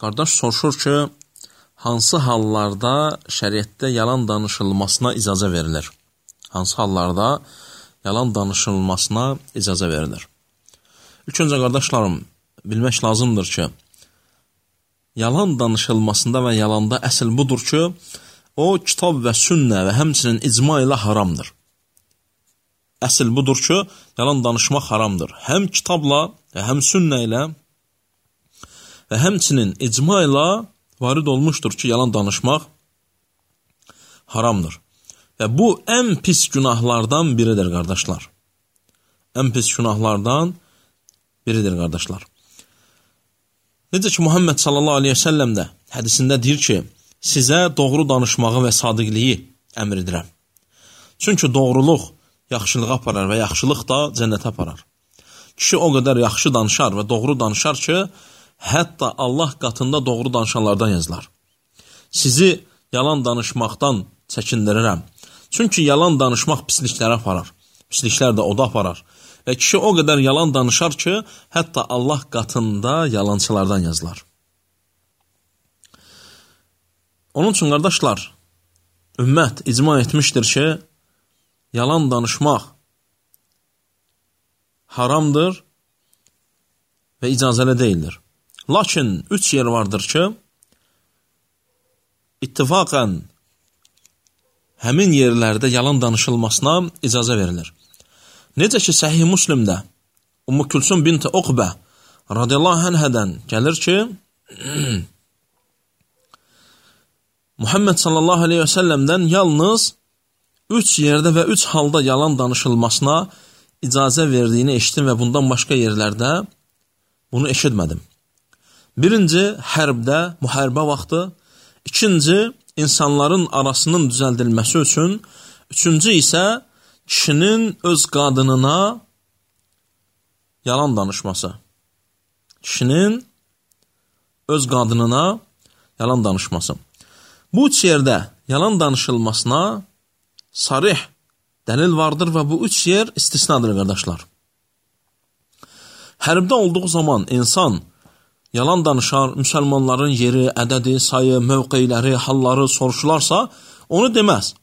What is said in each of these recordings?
Qardaş soruşur ki, hansı hallarda şəriətdə yalan danışılmasına icazə verilir? Hansı hallarda yalan danışılmasına icazə verilir? İlk öncə qardaşlarım, bilmək lazımdır ki, yalan danışılmasında və yalanda əsl budur ki, o kitab və sünnə və həmçinin icma ilə haramdır. Əsl budur ki, yalan danışmaq haramdır. Həm kitabla, həm sünnə ilə və həmçinin icma ilə varid olmuşdur ki, yalan danışmaq haramdır. Və bu ən pis günahlardan biridir, qardaşlar. Ən pis günahlardan biridir, qardaşlar. Necə ki, Muhammed sallallahu aleyhi ve səlləm də hədisində deyir ki, sizə doğru danışmağı və sadiqliyi əmr edirəm. Çünki doğruluq yaxşılığa aparar və yaxşılıq da cənnətə aparar. Kişi o qədər yaxşı danışar və doğru danışar ki, hətta Allah qatında doğru danışanlardan yazılar. Sizi yalan danışmaqdan çəkindirirəm. Çünki yalan danışmaq pisliklərə aparar. Pisliklər də oda aparar. Və kişi o qədər yalan danışar ki, hətta Allah qatında yalancılardan yazılar. Onun üçün, qardaşlar, ümmət icma etmişdir ki, yalan danışmaq haramdır və icazəli deyildir. Lakin 3 yer vardır ki, ittifaqən həmin yerlərdə yalan danışılmasına icazə verilir. Necə ki, Səhih Müslimdə Ümmü Külsüm binti Uqbə radiyallahu anhədən gəlir ki, Muhammed sallallahu aleyhi ve səlləmdən yalnız 3 yerdə və 3 halda yalan danışılmasına icazə verdiyini eşitdim və bundan başqa yerlərdə bunu eşitmədim. Birinci, hərbdə, müharibə vaxtı. İkinci, insanların arasının düzəldilməsi üçün. Üçüncü isə kişinin öz qadınına yalan danışması. Kişinin öz qadınına yalan danışması. Bu 3 yerdə yalan danışılmasına sarih dəlil vardır və bu 3 yer istisnadır, qardaşlar. Hərbdə olduğu zaman insan yalan danışar, müsəlmanların yeri, ədədi, sayı, mövqeyləri, halları soruşularsa, onu deməz.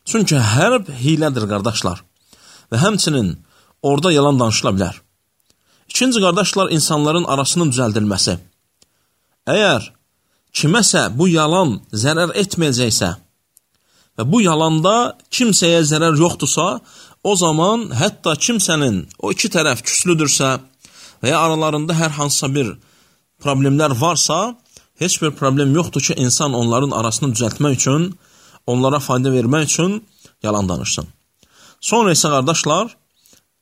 Çünki hərb hilədir, qardaşlar. Və həmçinin orada yalan danışıla bilər. İkinci, qardaşlar, insanların arasının düzəldilməsi. Əgər kiməsə bu yalan zərər etməyəcəksə və bu yalanda kimsəyə zərər yoxdursa, o zaman hətta kimsənin o iki tərəf küslüdürsə və ya aralarında hər hansısa bir problemlər varsa, heç bir problem yoxdur ki, insan onların arasını düzəltmək üçün, onlara fayda vermək üçün yalan danışsın. Sonra isə, qardaşlar,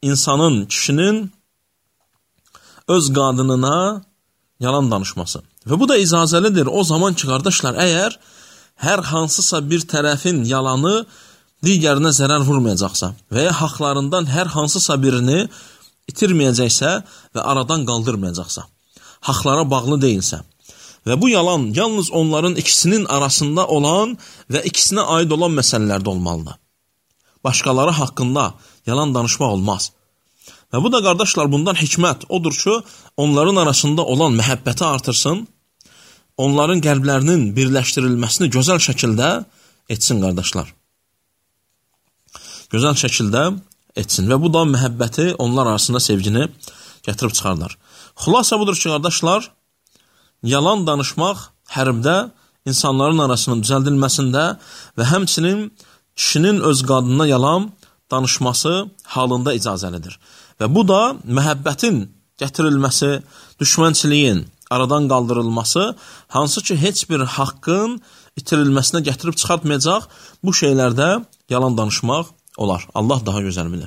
insanın, kişinin öz qadınına yalan danışması. Və bu da icazəlidir. O zaman ki, qardaşlar, əgər hər hansısa bir tərəfin yalanı digərinə zərər vurmayacaqsa və ya haqlarından hər hansısa birini itirməyəcəksə və aradan qaldırmayacaqsa, haqlara bağlı deyilsə və bu yalan yalnız onların ikisinin arasında olan və ikisinə aid olan məsələlərdə olmalıdır. Başqaları haqqında yalan danışmaq olmaz. Və bu da, qardaşlar, bundan hikmət odur ki, onların arasında olan məhəbbəti artırsın, onların qəlblərinin birləşdirilməsini gözəl şəkildə etsin, qardaşlar. Gözəl şəkildə etsin və bu da məhəbbəti, onlar arasında sevgini gətirib çıxarlar. Xülasə budur ki, qardaşlar, yalan danışmaq hərbdə insanların arasının düzəldilməsində və həmçinin kişinin öz qadınına yalan danışması halında icazəlidir. Və bu da məhəbbətin gətirilməsi, düşmənçiliyin aradan qaldırılması, hansı ki, heç bir haqqın itirilməsinə gətirib çıxartmayacaq, bu şeylərdə yalan danışmaq olar. Allah daha gözəl bilir.